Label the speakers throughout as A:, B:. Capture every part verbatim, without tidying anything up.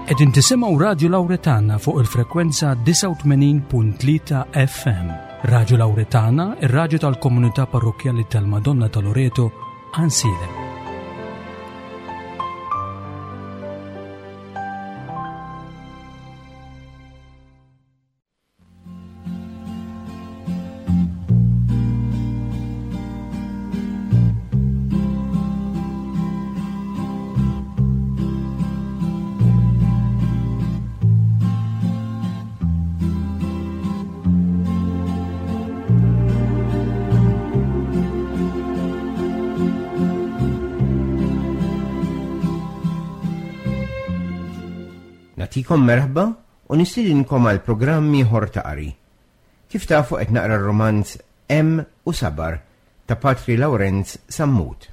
A: Qegħdin tisimgħu Radju Lawretana fuq il-frekwenza disgħa u tmenin punt tlieta F M. Radju Lawretana, ir-radju tal-komunità parrokkjali tal-Madonna ta' Loreto, Għajnsielem.
B: Nagħtikom merħba u nistedinkom għal programm ieħor ta' qari. Kif tafu qed naqra r-romanz Hemm u Sabar ta' Patri Lawrenz Sammut.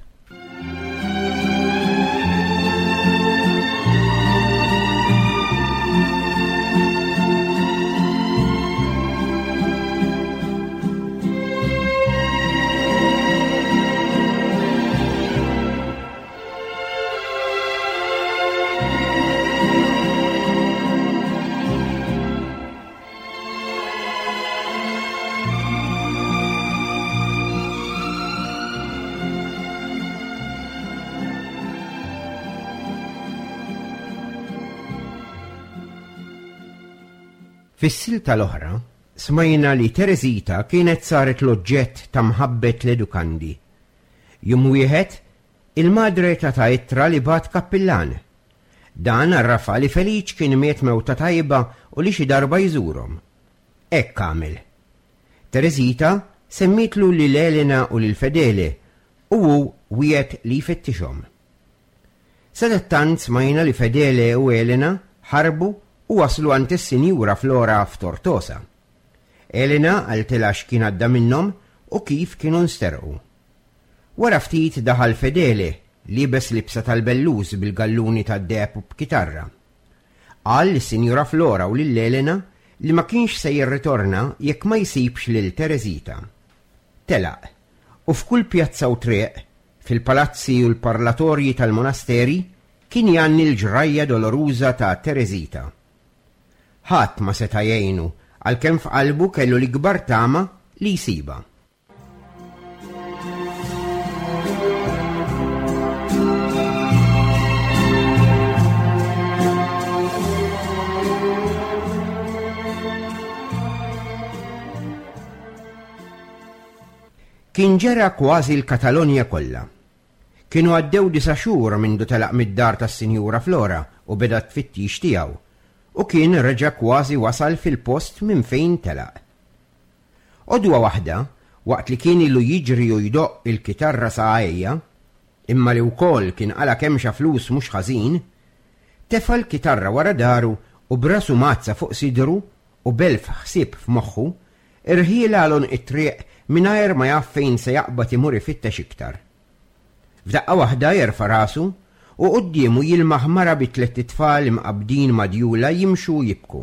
B: Fis-silta l-oħra, smajna li Teresita kienet saret l-oġġett ta' mħabbet l-edukandi. Jum wieħed, il-madre ta' ta' ittra li bat kappillan. Dan għarrafa li Feliċ kien miet mewta tajba u li xi darba jżurhom. Hekk għamel. Teresita semmitlu lil Elena u lil Fedele u hu wiegħed li jfittixhom. Sadattant smajna li Fedele u Elena ħarbu u waslu għand is-Sinjura Flora f'Tortosa. Elena qaltilha x'kien għadda minnhom u kif kienu nsterqu. Wara ftit daħal Fedele, liebes libsa tal-bellus bil-galluni tad-deheb u b'kitarra. Qal lis-Sinjura Flora u lil Elena li ma kienx se jirritorna jekk ma jsibx lil Teresita. Telaq, u f'kull pjazza u triq, fil-palazzi u l-parlatorji tal-monasteri, kien jgħanni l-ġrajja doloruża ta' Teresita. Ħadd ma seta' jgħinu għalkemm f'qalbu kellu l-ikbar tama li jsibha. Kien ġera kważi l-Katalonja kollha. Kienu għaddew disa' xhur mindu telaq mid-dar tas-Sinjura Flora u beda t-tfittix tiegħu, u kien reġa' kważi wasal fil-post minn fejn telaq. Odwa waħda, waqt li kien ilu jiġri u jdoqq il-kitarra sa għajja, imma li wkoll kien qala kemxa flus mhux ħażin, tefa' l-kitarra wara daru u brasu mazza fuq sidru u belf ħsieb f'moħħu, irħiela għal għonq it-triq mingħajr ma jaf fejn se jaqbad imur ifittex iktar. F'daqqa waħda jerfa' rasu u quddiemu jilmaħ mara bi tliet itfal imqabbdin madjula jimxu u jibku.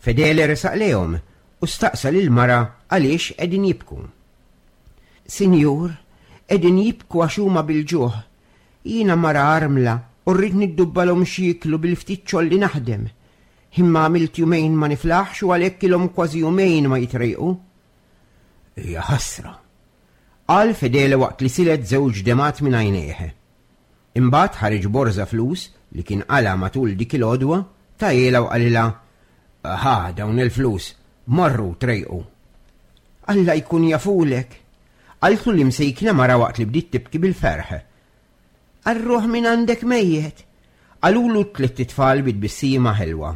B: Fedele resaq lejhom u staqsa lil mara għaliex qegħdin jibku. Sinjur, qegħdin jibku għax huma bil-ġuħ. Jiena mara armla u rrid niddubbalhom x'jieklu bil-ftit xogħol li naħdem. Imma għamilt jumejn ma niflaħx u għalhekk ilhom kważi jumejn ma jitrejqu. Hija ħasra, qal Fedele waqt li silet żewġ demat minn għajnejh. Imbagħad ħareġ borża flus li kien qala matul dik il-għodwa, tajjela u qalilha, Ħa dawn il-flus, marru trejqu. Alla jkun jafulek, qaltlu li msejkna mara waqt li bdiet tibki bil-ferħ. Arruħ minn għandek mejjet, qalulu tliet itfal bit-tbissima ħelwa.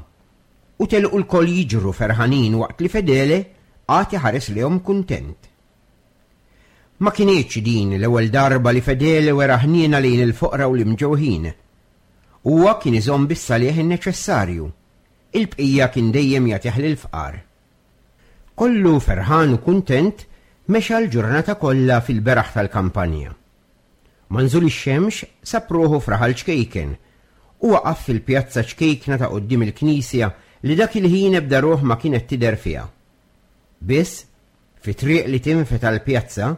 B: U telqu l-koll jiġru ferħanin waqt li Fedele għad iħares lehom kuntent. Ma kienieċ din l-ewwel darba li Fedele wera ħniena lejn il-foqra u l-imġewħin. Huwa kien iżomm bis-salih in-neċessarju. Il-bqija kien dejjem jagħtih lill-fqar. Kollu ferħan u kuntent mexa l-ġurnata kollha fil-beraħ tal-kampanja. Manżul ix-xemx sab ruħu f'raħal ċkejken u waqaf fil-pjazza ċkejkna ta' quddiem il-knisja li dak il-ħin ebda ruħ ma kienet tidher fiha. Biss, fi triq li tinfet għall-pjazza,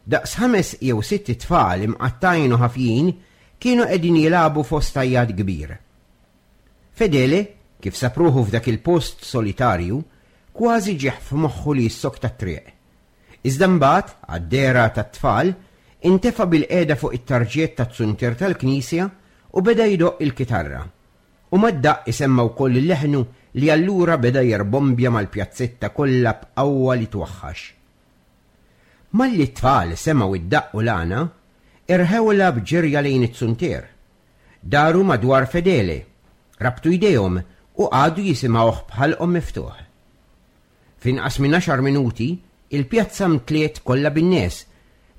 B: daqs ħames jew sitt tfal imqattajn u ħafjin kienu qegħdin jilagħbu fost għajjat kbir. Fedele, kif sab ruħu f'dak il-post solitarju, kważi ġieħ f'moħħu li jissokta t-triq. Iżda mbagħad, għad-dehra tat-tfal, intefa' bilqiegħda fuq it-tarġiet taz-zuntier tal-knisja u beda jdoqq il-kitarra. U mad-daqq isemma' wkoll leħnu li allura beda jirbombja mal-pjazzetta kollha b'qawwa li twaħħax. Malli t-tfal semgħu id-daqq u l-għana, irħewla b'ġirja lejn it-zuntier. Daru madwar Fedele, rabtu jdejhom u qagħdu jisimgħuh b'ħalqhom miftuħ. F'inqas minn għaxar minuti, il-pjazza mtliet kollha bin-nies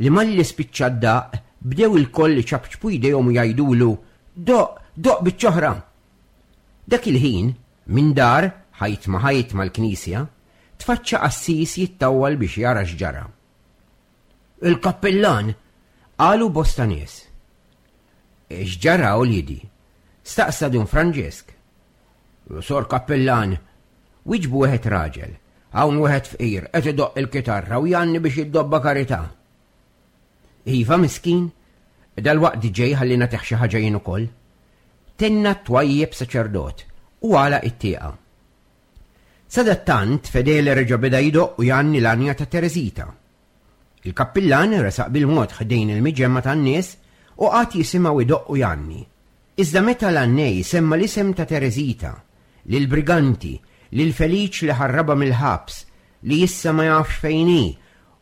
B: li malli spiċċa d-daqq bdew ilkoll iċapċpu jdejhom u jgħidulu doqq, doqq biċċa oħra. Dak il-ħin, minn dar, ħajt ma ħajt mal-knisja, tfaċċa qassis jittawwal biex jara x'ġara. Il-kappillan, qalu bosta nies. X'ġara uliedi? Staqsa Dun Franġisk. Sor kappillan, wieġbu wieħed raġel, hawn wieħed fqir qed idoqq il-kitarra u jgħanni biex jiddobba karità. Iva miskin, dal-waqt ġej ħalli nagħtih xi ħaġa jien ukoll. Tenna twajjeb saċerdot u għalaq it-tieqa. Sadattant Fedele reġa' beda jdoqq u jgħanni l-għanja ta' Teresita. Il-kappillan resaq bil-mod ħdejn il-miġemma tan-nies u qagħad jisimgħu jdoqq u jgħanni. Iżda meta l-għannej semma l-isem ta' Teresita, lil briganti, lil Feliċ li ħarraba mill-ħabs, li issa ma jafx fejn hi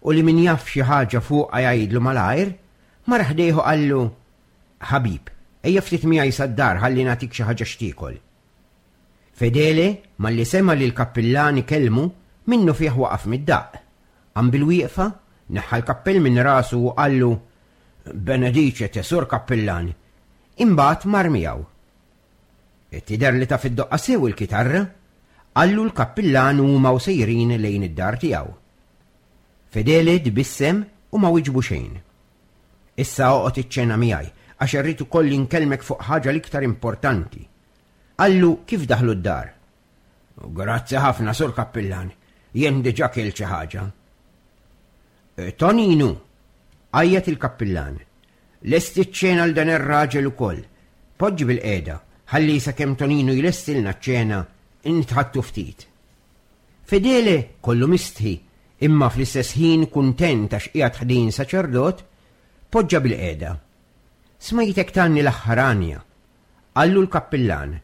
B: u li min jaf xi ħaġa fuqha jgħidlu malajr, mar ħdejh u qallu, Ħabib, ejja ftit miegħi sad-dar ħalli nagħtik xi ħaġa x'tiekol. Fedele, malli sema li l-kappillan ikellmu, minnu fih waqaf mid-daqq. Qam bil-wieqfa, neħħa l-kappell minn rasu u qallu, Benedicite, sur kappillan. Imbagħad mar miegħu. Tidher li taf iddoqqa sew il-kitarra, qallu l-kappillan u huma u sejrin lejn id-dar tiegħu. Fedele tbissem u ma wieġbu xejn. Issa oqgħod iċ-ċena miegħi għax irrid ukoll inkellmek fuq ħaġa l-iktar importanti. Qallu kif daħlu d-dar. Grazzi ħafna, sur kappillan, jien diġà kilt xi ħaġa. Toninu, għajjat il-kappillan, lesti ċ-ċena għal dan ir-raġel ukoll. Poġġi bilqiegħda, ħalli sakemm Toninu jlestilna ċ-ċena nitħaddtu ftit. Fedele kollu mistħi, imma fl-istess ħin kuntent għax qiegħed ħdejn saċerdot, poġġa bilqiegħda. Smajtek tgħanni l-aħħar għanja, qallu l-kappillan,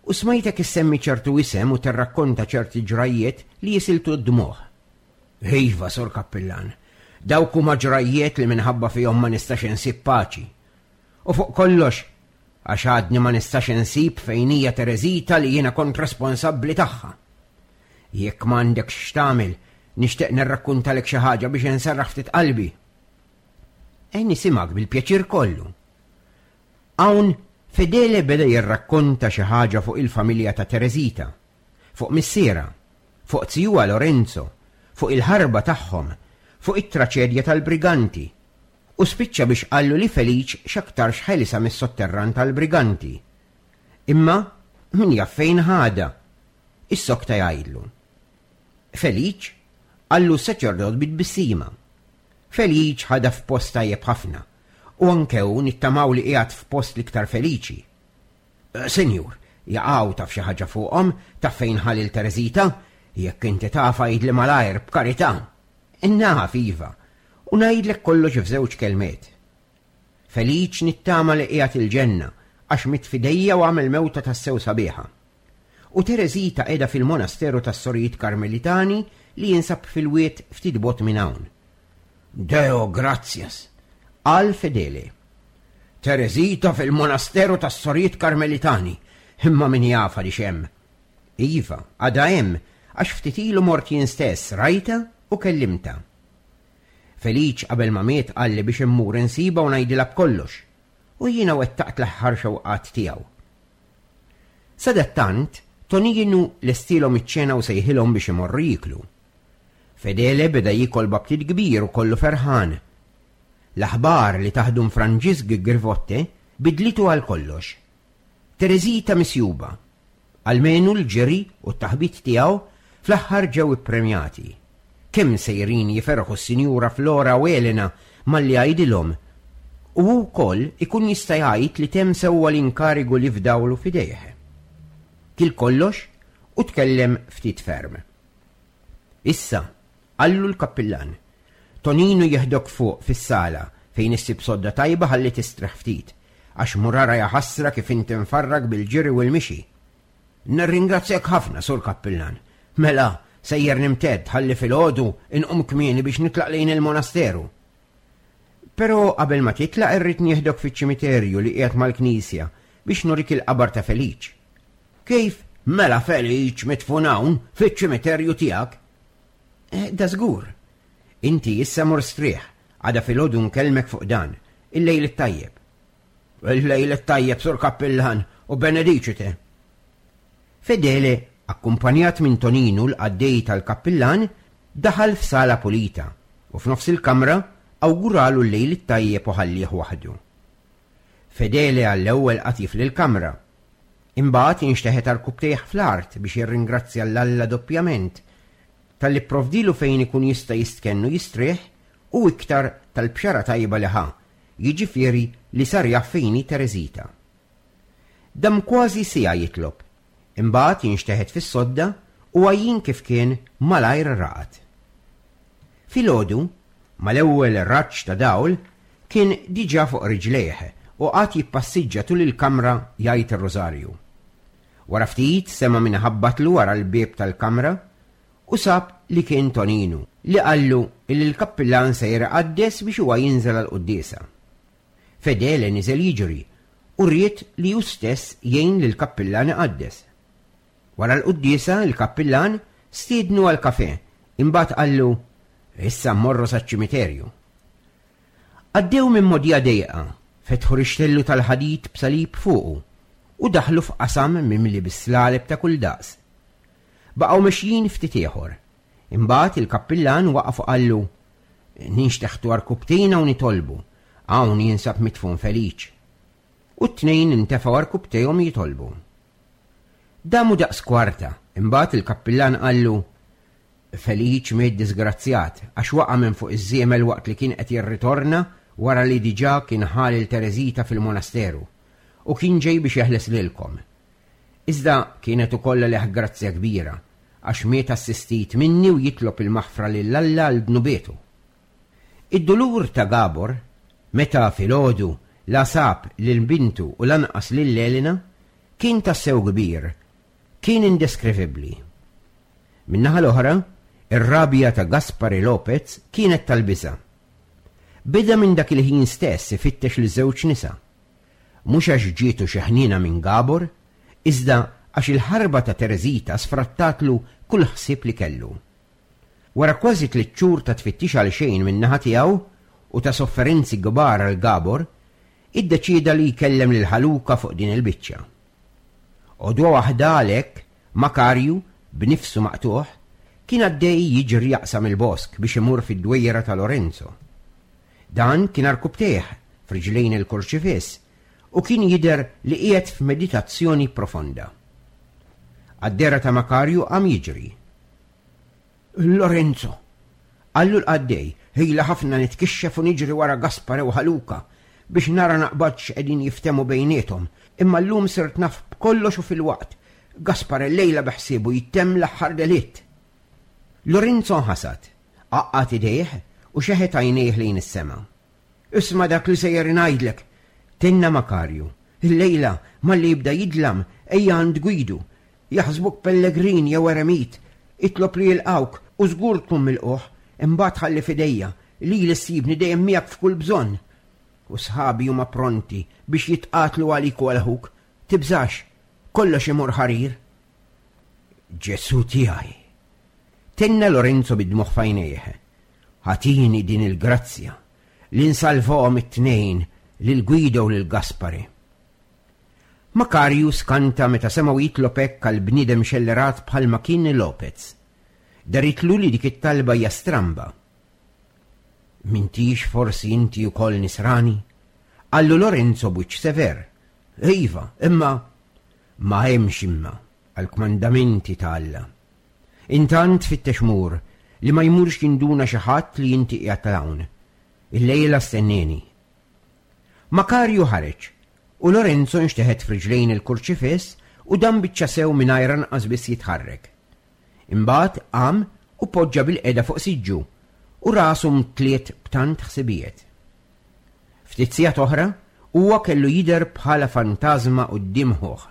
B: u smajtek issemmi ċertu isem u tirrakkonta ċerti ġrajiet li jisiltu d-dmuħ. Iva, sur kappillan, dawk huma ġrajiet li minħabba fihom ma nistax insib paċi. U fuq kollox, għax għadni ma nistax insib fejn hija Teresita li jiena kont responsabbli tagħha. Jekk m'għandekx x'tagħmel, nixtieq nirrakkuntalek xi ħaġa biex inserraħ ftit qalbi. E nisimgħek bil-pjaċir kollu. Hawn Fedele beda jirrakkonta xi ħaġa fuq il-familja ta' Teresita, fuq missiera, fuq zijuha Lorenzo, fuq il-ħarba tagħhom, fuq it-traċedja tal-briganti, u spiċċa biex qallu li Feliċ x'aktarx ħelisa mis-sotterran tal-briganti. Imma min jaf fejn ħadha, issokta jgħidlu. Feliċ qallu s-saċerdot bit-tbissima. Feliċ ħadha f'post tajjeb ħafna, u anke hu nittamaw li qiegħed f'post l-iktar feliċi. Senjur, jaqaw taf xi ħaġa fuqhom, taf fejn ħa lil Teresita, jekk inti taf għidli malajr b'karità. Naf iva, u ngħidlek kollox f'żewġ kelmiet. Feliċ nittama li qiegħed il-ġenna għax miet f'idejja u għamel mewta tassew sabiħa. U Teresita qiegħda fil-monasteru tas-Sorijiet Karmelitani li jinsab fil-wied ftit bogħod minn hawn. Deo gratias, qal Fedele. Teresita fil-monasteru tas-Sorijiet Karmelitani, imma min jaf għaliex hemm. Iva, għadha hemm, għax ftit ilu mort jien stess rajta u kellimta. Feliċ qabel ma miet qalli biex immur insiba u ngħidilha b'kollox, u jiena wettaqt l-aħħar xewqat tiegħu. Sadattant, Toninu lestielhom iċ-ċena u sejħilhom biex imorru jieklu. Fedele beda jiekol b'aptit kbir u kollu ferħan. L-aħbar li tah Dun Franġisk Grivotte bidlitu għal kollox. Teresita misjuba. Almenu l-ġiri u t-taħbit tiegħu fl-aħħar ġew ippremjati. Kemm sejrin jiferħu s-Sinjura Flora u Elena malli għajdilhom, u hu wkoll ikun jista' jgħid li temm sewwa l-inkarigu li fdawlu f'idejh. Kil kollox u tkellem ftit ferm. Issa, qallu l-kappillan, Toninu jeħdok fuq fis-sala fejn issib sodda tajba ħalli tistrieħ ftit, għax murara jaħasra kif inti mfarrak bil-ġiri u l-mixi. Nirringrazzjak ħafna, sur kappillan. Mela, sejjer nimtedd ħalli filgħodu inqum kmieni biex nitlaq lejn il-monasteru. Però qabel ma titlaq irrid nieħdok fiċ-ċimiterju li qiegħed mal-knisja biex nurik il-qabar ta' Feliċ. Kif? Mela Feliċ midfun hawn fiċ-ċimiterju tiegħek? Eh, da żgur. Inti issa mur strieħ, għada filgħodu nkellmek fuq dan, il-lejl it-tajjeb. Il-lejl it-tajjeb, sur kappillan, u benedicite. Fedele, akkumpanjat minn Toninu l-qaddej tal-kappillan, daħal f'sala pulita u f'nofs il-kamra awguralu l-lejl it-tajjeb u ħallih waħdu. Fedele għall-ewwel qatif lill-kamra. Imbagħad inxteħet għarkupptejh fl-art biex jirringrazzja 'l Alla doppjament talli pprovdilu fejn ikun jista' jistkenn u jistrieħ u iktar tal-bxara tajba li ħa, jiġifieri li sar jaf fejn hi Tereżita. Dam kważi siegħa jitlob, imbagħad inxteħet fis-sodda u għajjien kif kien malajr raqad. Filgħodu, mal-ewwel raġġ ta' dawl, kien diġà fuq riġlejh u qagħad jippassiġġa tul il-kamra jgħid ir-rożarju. Wara ftit sema' min ħabbatlu wara l-bieb tal-kamra u sab li kien Toninu li qallu li l-kappillan sejjer iqaddes biex huwa jinżel għall-quddiesa. Fedele niżel jiġri u ried li hu stess jgħin lill-kappillan iqaddes. Wara l-quddiesa l-kappillan stiednu għall-kafè, imbagħad qallu issa mmorru saċ-ċimiterju. Għaddew minn mogħdija dejqa, fetħu rixtellu tal-ħadid b'salib fuqu u daħlu f'qasam mimli bis-slaleb ta' kull daqs. Baqgħu mexjin ftit ieħor. Imbagħad il-kappillan waqaf u qallu ninxteħtu għarkupptejna u nitolbu, hawn jinsab midfun Feliċ. U t-tnejn intefgħu għarkupptejhom jitolbu. Damu daqs kwarta, imbagħad il-kappillan qallu Feliċ miet disgrazzjat għax waqa' minn fuq iż-żiemel waqt li kien qed jirritorna wara li diġà kien ħa lil Tereżita fil-monasteru u kien ġej biex jeħles lilkom. Iżda kienet ukoll għalih grazzja kbira għax miet assistit minni u jitlob il-maħfra lil Alla għal dnubietu. Id-dulur ta' Gabor, meta filgħodu la sab lil bintu u lanqas lil Elena, kien tassew kbir, kien indeskrivibbli. Min-naħa l-oħra, ir-rabja ta' Gaspare Lopez kienet tal-biża'. Beda minn dak il-ħin stess ifittex li żewġ nisa. Mhux għax ġietu xi ħniena minn Gabor, iżda għax il-ħarba ta' Tereżita sfrattatlu kull ħsieb li kellu. Wara kważi tliet xhur ta' tfittix għal xejn min-naħa tiegħu u ta' sofferenzi kbar għal Gabor, iddeċieda li jkellem lil Ħaluka fuq din il-biċċa. Għodwa waħda għalhekk, Makarju, b'nifsu maqtuħ, kien għaddej jiġri jaqsam il-bosk biex imur fid-dwejra ta' Lorenzo. Dan kien għarkupptejh f'riġlejn il-kurċifiss u kien jidher li qiegħed f'meditazzjoni profonda. Għad-dehra ta' Makarju qam jiġri. Lorenzo, qallu l-qaddej, ħila ħafna nitkixxef u niġri wara Gaspare u Ħaluka biex nara naqbadx qegħdin jiftemu bejniethom, imma llum sirt naf b'kollox u fil-waqt. Gaspare llejla beħsiebu jtemm l-aħħar delitt. Lorenzo nħasad, għaqqad idejh u xeħet għajnejh lejn is-sema. Isma' dak li sejjer ngħidlek, tenna Makarju. Illejla malli jibda jidlam ejja għand Gwidu. Jaħsbuk pellegrin jew eremit, itlob li jilqawk u żgur tkun milquh, imbagħad ħalli f'idejja li li ssibni dejjem miegħek f'kull bżonn. U sħabi huma pronti biex jitqatlu għalik u għal ħuk. Tibżax, kollox imur ħarir. Ġesu tiegħi. Tenna Lorenzo bid-dmugħ f'għajnejh. Ħatini din il-grazzja li nsalvahom it-tnejn lil Guido u lil Gaspare. Makarju skanta meta semgħu jitlob hekk għal bniedem xellerat bħalma kien Lopez. Daritlu li dik it-talba hija stramba. M'intix forsi inti wkoll nisrani? Qallu Lorenzo b'wiċċ sever. Iva, imma ma hemmx imma għall-kmandamenti ta' Alla. Intant fittex mur li ma jmurx jinduna xi ħadd li inti qiegħed hawn. Illejla stenneni. Makarju ħareġ u Lorenzo nxteħet f'riġlejn il-kurċifiss u dan biċċa sew mingħajr anqas biss jitħarrek. Imbagħad qam u poġġa bilqiegħda fuq siġġu u rasu mtliet b'tant ħsibijiet. Ftit sigħat oħra huwa kellu jidher bħala fantażma quddiem ħuh.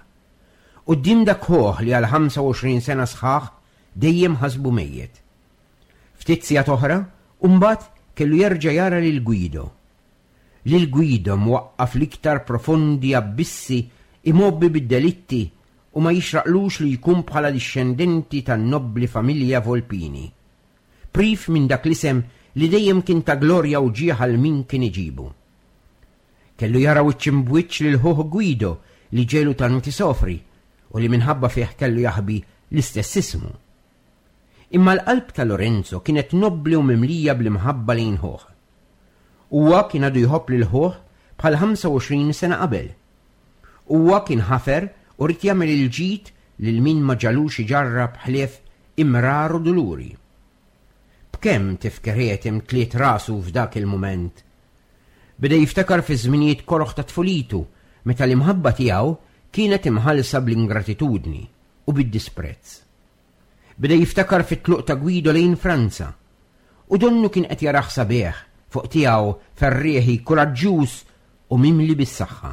B: Quddiem dak ħuh li għal ħamsa u għoxrin sena sħaħ dejjem ħasbu mejjet. Ftit sigħat oħra u mbagħad kellu jerġa' jara lil Guido. Lil Guido mwaqqaf l-iktar profondi abbissi, imgħobbi bid-delitti u ma jixraqlux li jkun bħala dixxendenti tan-nobbli familja Volpini. Priv minn dak l-isem li dejjem kien ta' glorja u ġieħ għal min kien iġibu. Kellu jara wiċċ imbwiċċ lil ħuh Guido li ġiegħlu tant isofri u li minħabba fih kellu jaħbi l-istess ismu. Imma l-qalb ta' Lorenzo kienet nobbli u mimlija bl-imħabba lejn ħuh. Huwa kien għadu jħobb lil ħuh bħal ħamsa u għoxrin sena qabel. Huwa kien ħafer u ried jagħmel il-ġid lil min ma ġagħlux iġarrab ħlief imrar u duluri. B'kemm tifkiriet imtliet rasu f'dak il-mument. Beda jiftakar fi żminijiet koroħ ta' tfulitu meta l-imħabba tiegħu kienet imħallsa bl-ingratitudni u bid-disprezz. Beda jiftakar fit-tluq ta' Guido lejn Franza u donnu kien qed jarah sabiħ fuq tiegħu, ferrieħi, kuraġġuż u mimli bis-saħħa.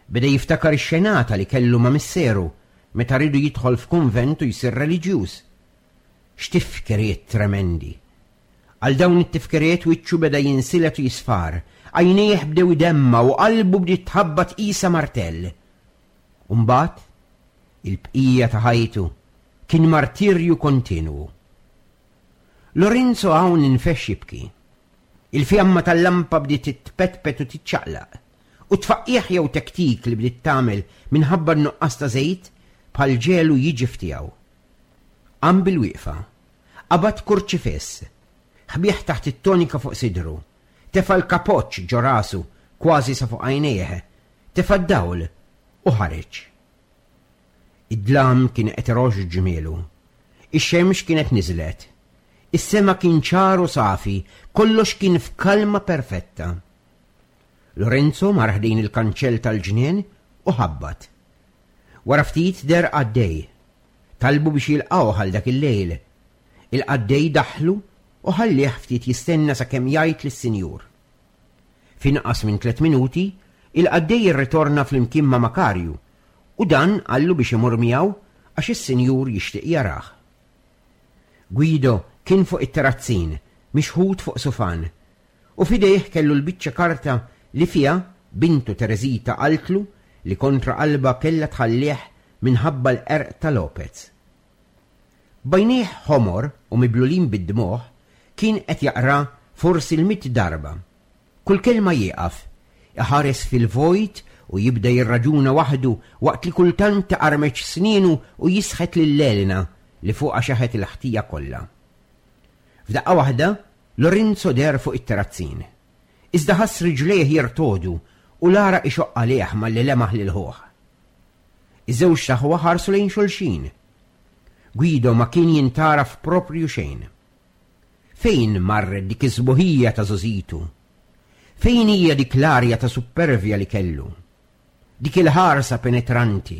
B: Beda jiftakar ix-xenata li kellu ma' missieru meta riedu jidħol f'kunvent u jsir reliġjuż. X'tifkiriet tremendi! Għal dawn it-tifkiriet wiċċu beda jinsilet u jisfar, għajnejh bdew idemmgħu u qalbu bdiet tħabbat qisha martell. U mbagħad, il-bqija ta' ħajtu kien martirju kontinwu. Lorenzo hawn infexx jibki. Il-fjamma tal-lampa bdiet titpetpet u titċaqlaq, u tfaqqieħ jew tektik li bdiet tagħmel minħabba n-nuqqas ta' żejt bħal ġelu jiġi ftiegħu. Qam bil-wieqfa, qabad kurċifiss, ħbieh taħt it-tonika fuq sidru, tefa' l-kapoċ ġo rasu kważi sa fuq għajnejh, tefa' d-dawl u ħareġ. Id-dlam kien qed iroxx ġmielu. Ix-xemx kienet niżlet. Is-sema kien ċar u safi, kollox kien f'kalma perfetta. Lorenzo mar ħdejn il-kanċell tal-ġnien u ħabbat. Wara ftit deher qaddej. Talbu biex jilqgħu għal dak il-lejl. Il-qaddej daħlu u ħallih ftit jistenna sakemm jgħid lis-sinjur. F'inqas minn tliet minuti, il-qaddej irritorna flimkien ma' Makarju u dan qallu biex imur miegħu għax is-sinjur jixtieq jarah. Guido kien fuq it-terrazzin, mixħut fuq sufan, u f'idejh kellu l-biċċa karta li fiha bintu Teresita qaltlu li kontra qalba kella tħallih minħabba l-qerq ta' Lopez. B'għajnejh ħomor u miblulin bid-dmugħ kien qed jaqra forsi l-mitt darba. Kull kelma jieqaf, iħares fil-vojt u jibda jirraġuna waħdu waqt li kultant iqarmeċ snienu u jisħet lil Elena li fuqha xeħet il-ħtija kollha. F'daqqa waħda, Lorenzo deher fuq it-terrazzin. Iżda ħass riġlejh jirtogħdu u l-għaraq ixoqq għalih malli lemaħ lil ħuh. Iż-żewġ aħwa ħarsu lejn xulxin. Guido ma kien jintgħaraf proprju xejn. Fejn marret dik iż-sbuħija ta' żgħożitu? Fejn hija dik l-arja ta' supervja li kellu? Dik il-ħarsa penetranti?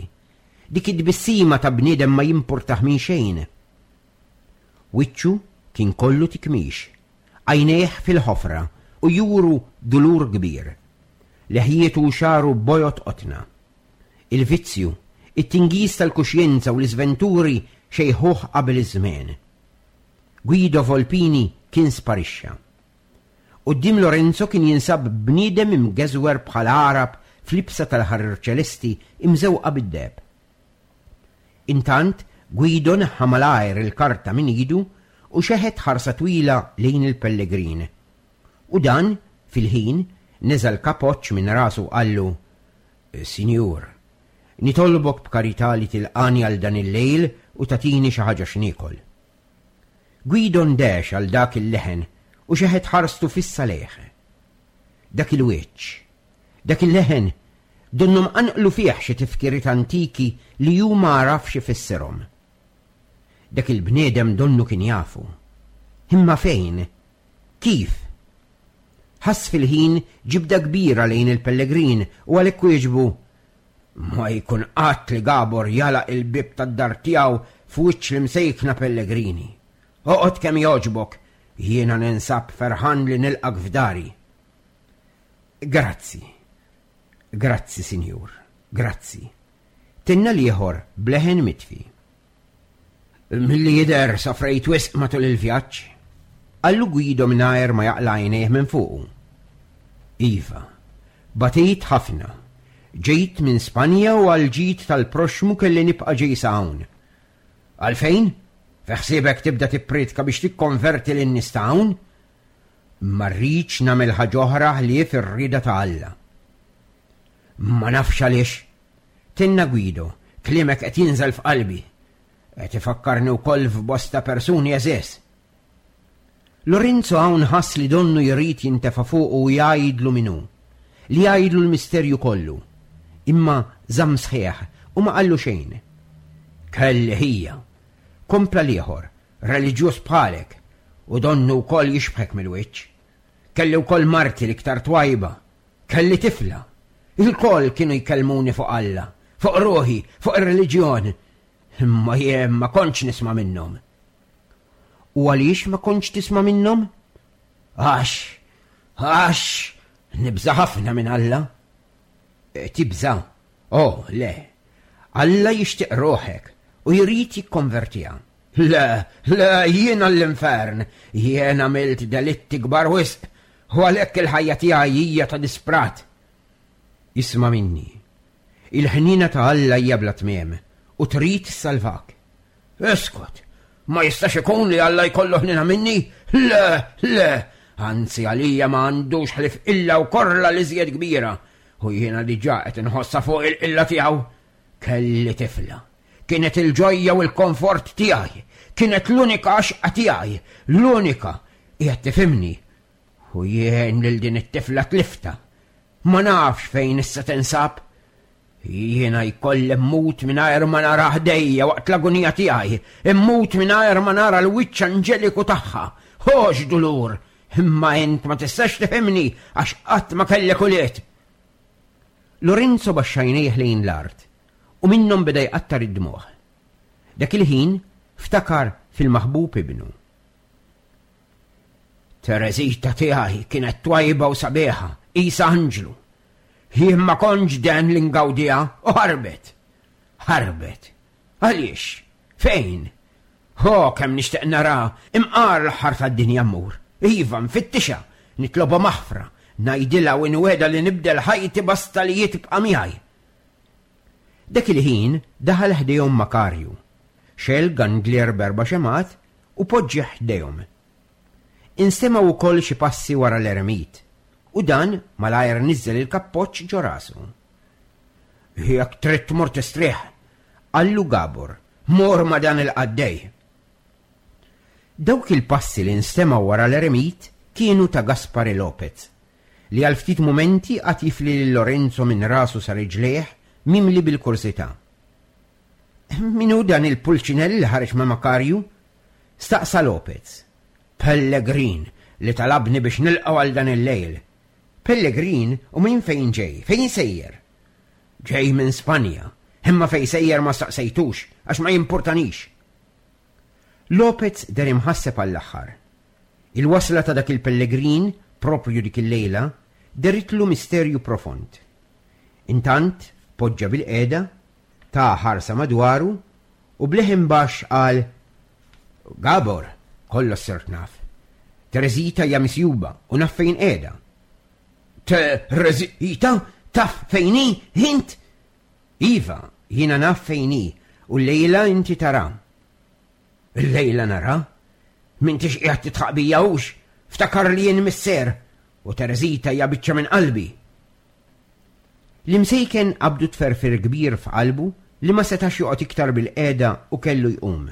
B: Dik id-tbissima ta' bniedem ma jimpurtah minn xejn? Wiċċu kien kollu tikmix, għajnejh fil-ħofra u juru dulur kbir. Leħjietu u xagħru bojod qotna. Il-vizzju, it-tingiż tal-kuxjenza u l-iżventuri xejħuh qabel iż-żmien. Guido Volpini kien sparixxa. Quddiem Lorenzo kien jinsab bniedem imgeżwer bħal Għarab f'libsa tal-ħarir ċelesti imżewqa bid-deheb. Intant, Guido neħħa malajr il-karta minn idu u xeħet ħarsa twila lejn il-pellegrin. U dan, fil-ħin, neża' l-kapoċ minn rasu qallu: "Sinjur, nitolbok b'karità li tilqani għal dan il-lejl u tagħtini xi ħaġa x'niekol." Guido ndex għal dak il-leħen u xeħet ħarstu fissa lejh. Dak il-wiċċ, dak il-leħen, donnhom qanqlu fih xi tifkiriet antiki li hu ma għarafx ifissirhom. Dak il-bniedem donnu kien jafu. Imma fejn? Kif? Ħass fil-ħin ġibda kbira lejn il-pellegrin u għalhekk wieġbu: Ma jkun qatt li Gabor jagħlaq il-bieb tad-dar tiegħu f'wiċċ l-imsejkna Pellegrini. Oqgħod kemm jogħġbok, jiena ninsab ferħan li nilqak f'dari. Grazzi. Grazzi, sinjur. Grazzi. Tenna l-ieħor b'leħen mitfi. Milli jidher sofrejt wisq matul il-vjaġġ. Qallu Guido mingħajr ma jaqla' għajnejh minn fuqu. Iva, batejt ħafna. Ġejt minn Spanja u għall-ġid tal-proxxmu kelli nibqa' ġej sa hawn. Għalfejn? Fi ħsiebek tibda tippriedka biex tikkonverti lin-nies ta' hawn? Ma rridx nagħmel ħaġa oħra ħlief ir-rieda ta' Alla. Ma nafx għaliex. Tenna Guido, kliemek qed jinżel f'qalbi. Qed ifakkarni wkoll f'bosta persuni għeżież. Lorenzo hawn ħass li donnu jrid jintefa' fuqu u jgħidlu min hu, li jgħidlu l-misterju kollu. Imma żamm sħiħ u ma qallu xejn. Kelli ħija, kompla l-ieħor, reliġjuż bħalek, u donnu wkoll jixbħek mill-wiċċ. Kelli wkoll marti l-iktar twajba, kelli tifla. Ilkoll kienu jkellmuni fuq Alla, fuq ruħi, fuq ir-reliġjon. Imma jien ma kontx nisma' minnhom. U għaliex ma kontx tisma' minnhom? Għax, għax, nibża' ħafna minn Alla. E, tibża'? Oh, le. Alla jixtieq ruħek u jrid jikkonvertiha. Le, le, jiena l-infern, jien għamilt delitti kbar wisq, u għalhekk il-ħajja tiegħi hija ta' disprat. Isma' minni. Il-ħniena ta' Alla hija bla tmiem u trid issalvak. Iskot, ma jistax ikun li Alla jkollu ħniena minni? Le, le, anzi għalija ma għandux ħlief qilla u korla li żjed kbira, u jiena diġà qed inħossha fuq il-qilla tiegħu. Kelli tifla. Kienet il-ġojja u l-komfort tiegħi. Kienet l-unika għaxqa tiegħi, l-unika. Qiegħed tifhimni. U jien lil din it-tifla tliftha. Ma nafx fejn issa tinsab. Jiena jkolli mmut mingħajr ma nara ħdejja waqt l-agunija tiegħi, immut mingħajr ma nara l-wiċċ anġeliku tagħha. Hox dulur, imma int ma tistax tifhimni għax qatt ma kellek ulied. Lorenzo baxxa għajnejh lejn l-art u minnhom beda jqattar id-dmugħ. Dak il-ħin ftakar fil-maħbub ibnu. Tereżita tiegħi kienet twajba u sabiħa, qisha anġlu. Jien ma kontx den li ngawdiha u ħarbet. Ħarbet. Għaliex? Fejn? Ho, kemm nixtieq nara, imqar l-aħħar tad-dinja mmur. Iva, nfittixa, nitlobha maħfra, ngħidilha u nwegħda li nibdel ħajti basta li tibqa' miegħi. Dak il-ħin daħal ħdejhom Makarju, xegħel gandlier b'erba' xemgħat u poġġih ħdejhom. Instemgħu wkoll xi passi wara l-eremit, u dan malajr niżel il-kappoċċ ġo rasu. Jekk trid tmur tistrieħ, qallu Gabor, mur ma' dan il-qaddej. Dawk il-passi li nstemgħu wara l-eremit kienu ta' Gaspare Lopez, li għal ftit mumenti qagħad jifli lil Lorenzo minn rasu sa riġlejh mimli bil-kurżità. Min hu dan il-pulċinell li ħareġ ma' Makarju? Staqsa Lopez. Pellegrin li talabni biex nilqgħu għal dan il-lejl. Pellegrin u minn fejn ġej? Fejn sejjer? Ġej minn Spanja, imma fejn sejjer ma staqsejtux għax ma jimpurtanix. Lopez deher imħasseb għall-aħħar. Il-wasla ta' dak il-pellegrin, propju dik il-lejla, deritlu misterju profond. Intant, poġġa bil-qeda, ta' ħarsa madwaru u b'leħen baxx qal: Gabor, kollox sirt naf. Tereżita hija misjuba u naf fejn qiegħda. Tereżita? Taf fejn hi, int? Iva, jiena naf fejn hi u l-lejla inti tara. Il-lejla nara? M'intix qiegħed tidħaq bija hux? Ftakar li jien missier u Tereżita hija biċċa minn qalbi. L-imsejken qabdu tferfir kbir f'qalbu li ma setax joqgħod iktar bil-qeda u kellu jqum.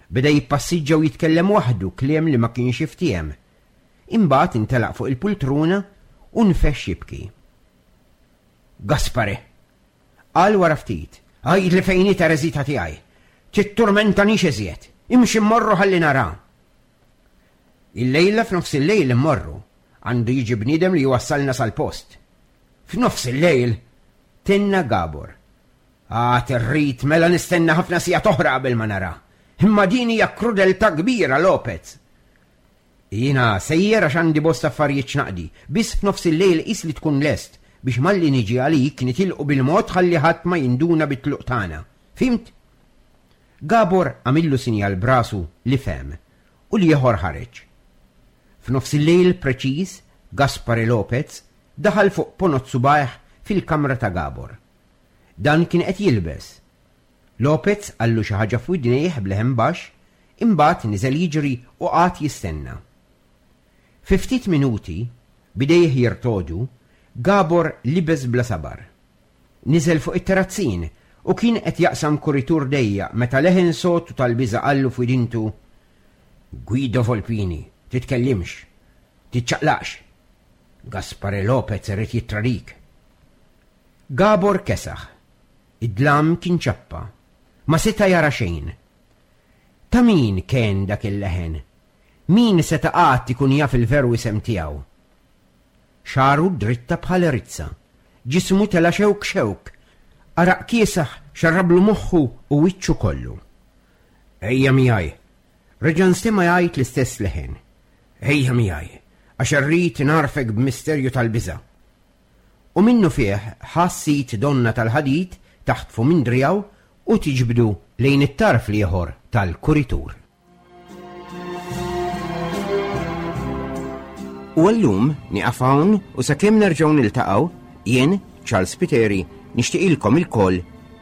B: Beda jippassiġġa u jitkellem waħdu kliem li ma kienx jiftiehem. Imbagħad intelaq fuq il-pultruna u nfexx jibki. Gaspare, qal wara ftit, għidli fejn hi Tereżita tiegħi. Titturmentanix iżjed, imxi mmorru ħalli nara. Il-lejla f'nofs il-lejl immorru, għandu jiġi bniedem li jwassalna sal-post. F'nofs il-lejl, tenna Gabor, Għad irrid mela nistenna ħafna sigħat oħra qabel ma nara. Imma din hija krudeltà kbira, Lopez. Jiena sejjer għax għandi bosta affarijiet x'naqdi, biss f'nofs il-lejl qis li tkun lest biex malli niġi għalik nitilqu bil-mod ħalli ħadd ma jinduna bit-tluq tagħna. Fhimt? Gabor għamillu sinjal b'rasu li fehem u l-ieħor ħareġ. F'nofs il-lejl preċiż, Gaspare Lopez daħal fuq ponot subgħajh fil-kamra ta' Gabor. Dan kien qed jilbes. Lopez qallu xi ħaġa f'widnejh b'leħen baxx, imbagħad niżel jiġri u qagħad jistenna. Fi ftit minuti, b'idejh jirtogħdu, Gabor libes bla sabar. Niżel fuq it-terazzin u kien qed jaqsam kuritur dejjaq meta leħen sod u tal-biża' qallu f'widintu: Guido Volpini, titkellimx, tiċċaqlaqx. Gaspare Lopez irid jittradik. Gabor kesaħ. Id-dlam kien ċappa. Ma seta' jara xejn. Ta' min kien dak il-leħen? Min seta' qatt ikun jaf il-veru isem tiegħu? Xagħru dritta bħal rizza. Ġismu tela' xewk xewk. Għaraq kiesaħ xarrablu moħħu u wiċċu kollu. Ejja miegħi. Reġa' nstema' jgħid l-istess leħen. Ejja miegħi, għax irrid ngħarrfek b'misterju tal-biża'. U minnufih ħass id donnha tal-ħadid taħtfu minn driegħu u tiġbdu lejn it-tarf l-ieħor tal-kuritur. U għallum nieqaf hawn u sakemm nerġgħu niltaqgħu, jien, Charles Spiteri, nixtieqilkom ilkoll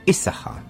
B: is-saħħa.